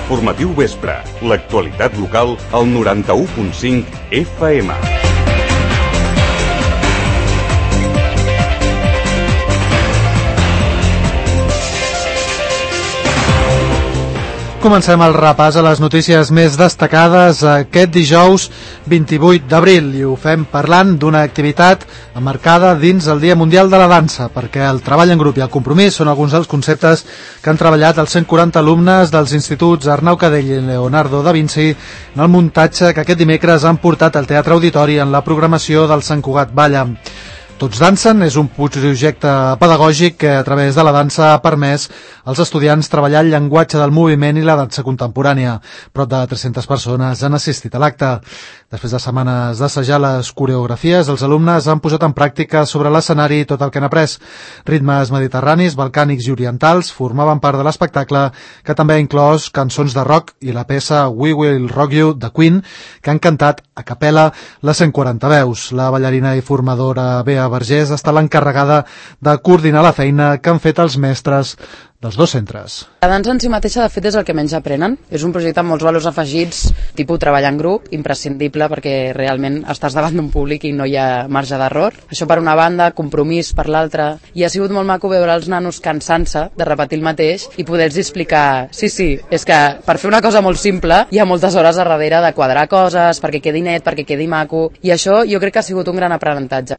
Informatiu Vespre, l'actualitat local al 91.5 FM. Comencem el repàs a les notícies més destacades aquest dijous 28 d'abril i ho fem parlant d'una activitat emmarcada dins el Dia Mundial de la Dansa, perquè el treball en grup i el compromís són alguns dels conceptes que han treballat els 140 alumnes dels instituts Arnau Cadell i Leonardo da Vinci en el muntatge que aquest dimecres han portat al Teatre Auditori en la programació del Sant Cugat Balla. Tots dansen és un projecte pedagògic que a través de la dansa ha permès als estudiants treballar el llenguatge del moviment i la dansa contemporània. Prop de 300 persones han assistit a l'acte. Després de setmanes d'assajar les coreografies, els alumnes han posat en pràctica sobre l'escenari tot el que han après. Ritmes mediterranis, balcànics i orientals formaven part de l'espectacle, que també ha inclòs cançons de rock i la peça We Will Rock You de Queen, que han cantat a capella les 140 veus. La ballarina i formadora Bea Vergés està l'encarregada de coordinar la feina que han fet els mestres dels dos centres. La dansa en si mateixa, de fet, és el que menys aprenen. És un projecte amb molts valors afegits, tipus treballar en grup, imprescindible perquè realment estàs davant d'un públic i no hi ha marge d'error. Això per una banda, compromís per l'altra, i ha sigut molt maco veure els nanos cansant-se de repetir el mateix i poder-los explicar, sí, és que per fer una cosa molt simple hi ha moltes hores a darrere de quadrar coses, perquè quedi net, perquè quedi maco, i això jo crec que ha sigut un gran aprenentatge.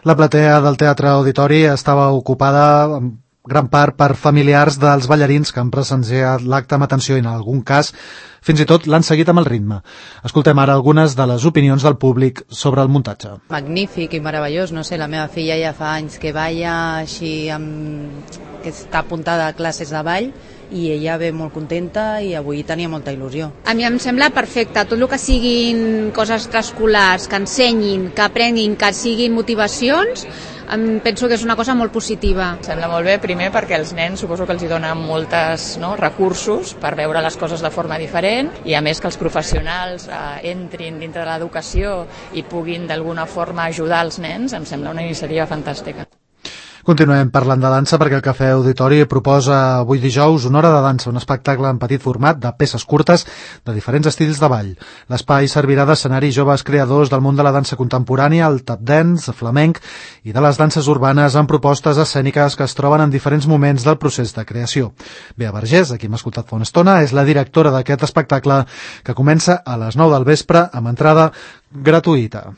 La platea del Teatre Auditori estava ocupada en gran part per familiars dels ballarins que han presenciat l'acte amb atenció i en algun cas fins i tot l'han seguit amb el ritme. Escoltem ara algunes de les opinions del públic sobre el muntatge. Magnífic i meravellós, no sé, la meva filla ja fa anys que balla així, que està apuntada a classes de ball i ella ve molt contenta i avui tenia molta il·lusió. A mi em sembla perfecte, tot el que siguin coses extraescolars, que ensenyin, que aprenguin, que siguin motivacions, penso que és una cosa molt positiva. Em sembla molt bé, primer perquè els nens suposo que els hi donen moltes recursos per veure les coses de forma diferent i a més que els professionals entrin dintre de l'educació i puguin d'alguna forma ajudar els nens, em sembla una iniciativa fantàstica. Continuem parlant de dansa perquè el Cafè Auditori proposa avui dijous una hora de dansa, un espectacle en petit format de peces curtes de diferents estils de ball. L'espai servirà d'escenari joves creadors del món de la dansa contemporània, el tap dance, flamenc i de les danses urbanes amb propostes escèniques que es troben en diferents moments del procés de creació. Bea Vergés, a qui hem escoltat fa una estona, és la directora d'aquest espectacle que comença a les 9 del vespre amb entrada gratuïta.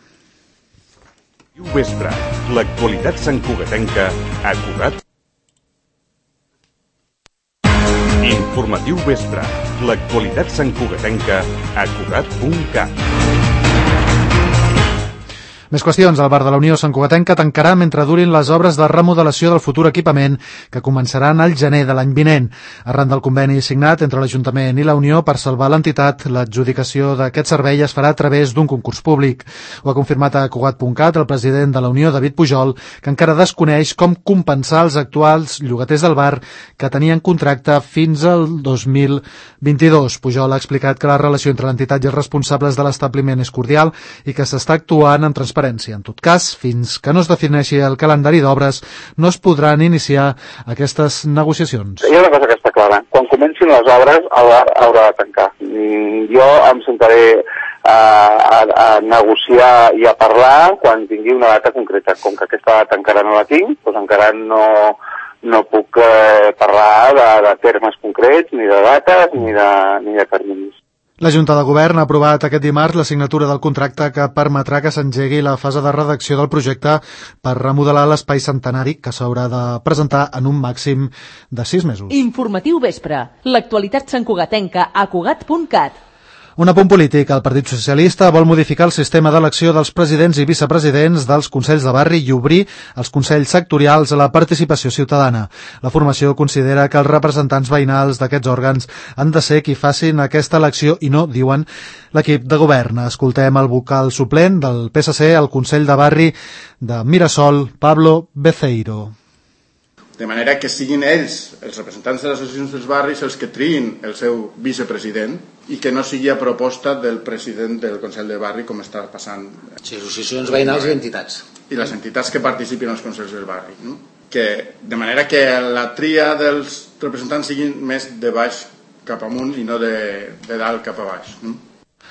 Vespre, l'actualitat santcugatenca a Cugat. Informatiu Vespre, l'actualitat santcugatenca a Cugat.cat. Més qüestions. El bar de la Unió Santcugatenca tancarà mentre durin les obres de remodelació del futur equipament que començaran al gener de l'any vinent. Arran del conveni signat entre l'Ajuntament i la Unió per salvar l'entitat, l'adjudicació d'aquest servei es farà a través d'un concurs públic. Ho ha confirmat a Cugat.cat el president de la Unió, David Pujol, que encara desconeix com compensar els actuals llogaters del bar que tenien contracte fins al 2022. Pujol ha explicat que la relació entre l'entitat i els responsables de l'establiment és cordial i que s'està actuant amb transparència. En tot cas, fins que no es defineixi el calendari d'obres, no es podran iniciar aquestes negociacions. Hi ha una cosa que està clara. Quan comencin les obres, el bar haurà de tancar. Jo em sentaré a negociar i a parlar quan tingui una data concreta. Com que aquesta data encara no la tinc, doncs encara no puc parlar de termes concrets, ni de dates, ni de terminis. La Junta de Govern ha aprovat aquest dimarts la signatura del contracte que permetrà que s'engegui la fase de redacció del projecte per remodelar l'espai centenari que s'haurà de presentar en un màxim de 6 mesos. Informatiu Vespre, l'actualitat santcugatenca a Cugat.cat. Un apunt polític. El Partit Socialista vol modificar el sistema d'elecció dels presidents i vicepresidents dels Consells de Barri i obrir els Consells sectorials a la participació ciutadana. La formació considera que els representants veïnals d'aquests òrgans han de ser qui facin aquesta elecció i no, diuen, l'equip de govern. Escoltem el vocal suplent del PSC al Consell de Barri de Mirasol, Pablo Beceiro. De manera que siguin ells, els representants de les associacions dels barris, els que triïn el seu vicepresident i que no sigui a proposta del president del Consell de Barri com està passant. Sí, associacions veïnals i entitats. I les entitats que participin als Consells del Barri. No? De manera que la tria dels representants siguin més de baix cap amunt i no de dalt cap a baix.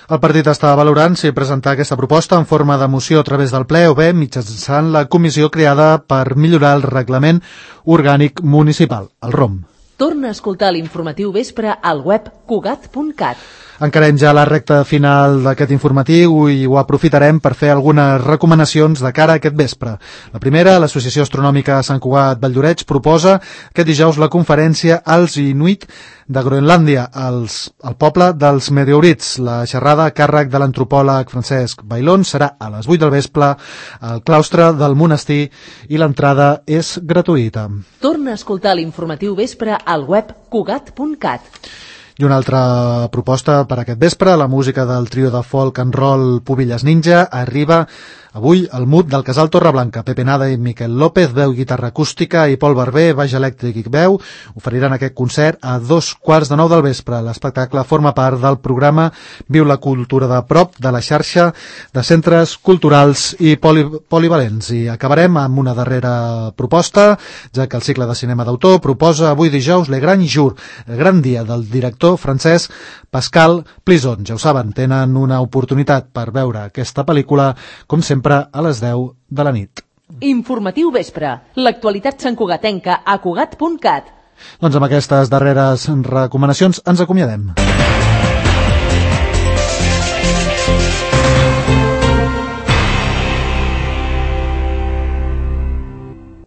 El partit està valorant si presentar aquesta proposta en forma de moció a través del ple o bé mitjançant la comissió creada per millorar el reglament orgànic municipal, el ROM. Torna a escoltar l'informatiu vespre al web cugat.cat. Encarem ja la recta final d'aquest informatiu i ho aprofitarem per fer algunes recomanacions de cara a aquest vespre. La primera, l'Associació Astronòmica Sant Cugat Valldoreix proposa aquest dijous la conferència als Inuit de Groenlàndia, al poble dels meteorits. La xerrada a càrrec de l'antropòleg Francesc Bailón serà a les 8 del vespre al claustre del monestir i l'entrada és gratuïta. Torna a escoltar l'informatiu vespre al web cugat.cat. I una altra proposta per aquest vespre, la música del trio de folk and roll Pubilles Ninja arriba avui al MUT del Casal Torreblanca. Pepe Nada i Miquel López, veu i guitarra acústica, i Pol Barber, baix elèctric i veu, oferiran aquest concert a 2:15 del vespre. L'espectacle forma part del programa Viu la cultura de prop de la xarxa de centres culturals i polivalents. I acabarem amb una darrera proposta, ja que el cicle de cinema d'autor proposa avui dijous Le Grand Jour, el gran dia del director francès Pascal Plisson. Ja ho saben, tenen una oportunitat per veure aquesta pel·lícula, com sempre, a les 10 de la nit. Informatiu vespre. L'actualitat santcugatenca a cugat.cat. Doncs amb aquestes darreres recomanacions ens acomiadem.